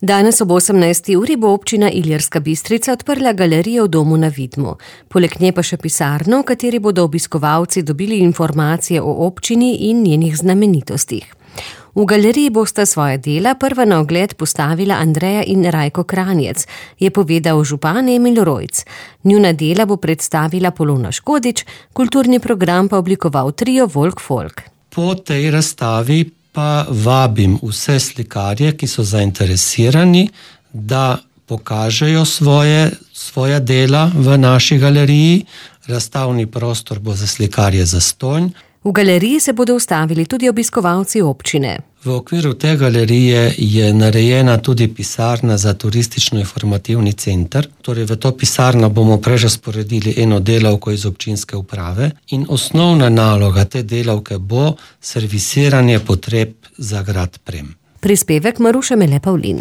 Danes ob 18. uri bo občina Ilirska Bistrica odprla galerijo v domu na Vidmu. Poleg nje pa še pisarno, v kateri bodo obiskovalci dobili informacije o občini in njenih znamenitostih. V galeriji bosta svoja dela prva na ogled postavila Andreja in Rajko Kranjec, je povedal župan Emil Rojc. Njuna dela bo predstavila Polona Škodič, kulturni program pa oblikoval trio Volk Folk. Po tej razstavi pa vabim vse slikarje, ki so zainteresirani, da pokažejo svoja dela v naši galeriji. Razstavni prostor bo za slikarje zastonj. V galeriji se bodo ustavili tudi obiskovalci občine. V okviru te galerije je narejena tudi pisarna za turistično-informativni center. Torej v to pisarno bomo prerazporedili eno delavko iz občinske uprave in osnovna naloga te delavke bo servisiranje potreb za grad Prem. Prispevek Maruše Mele Pavlin.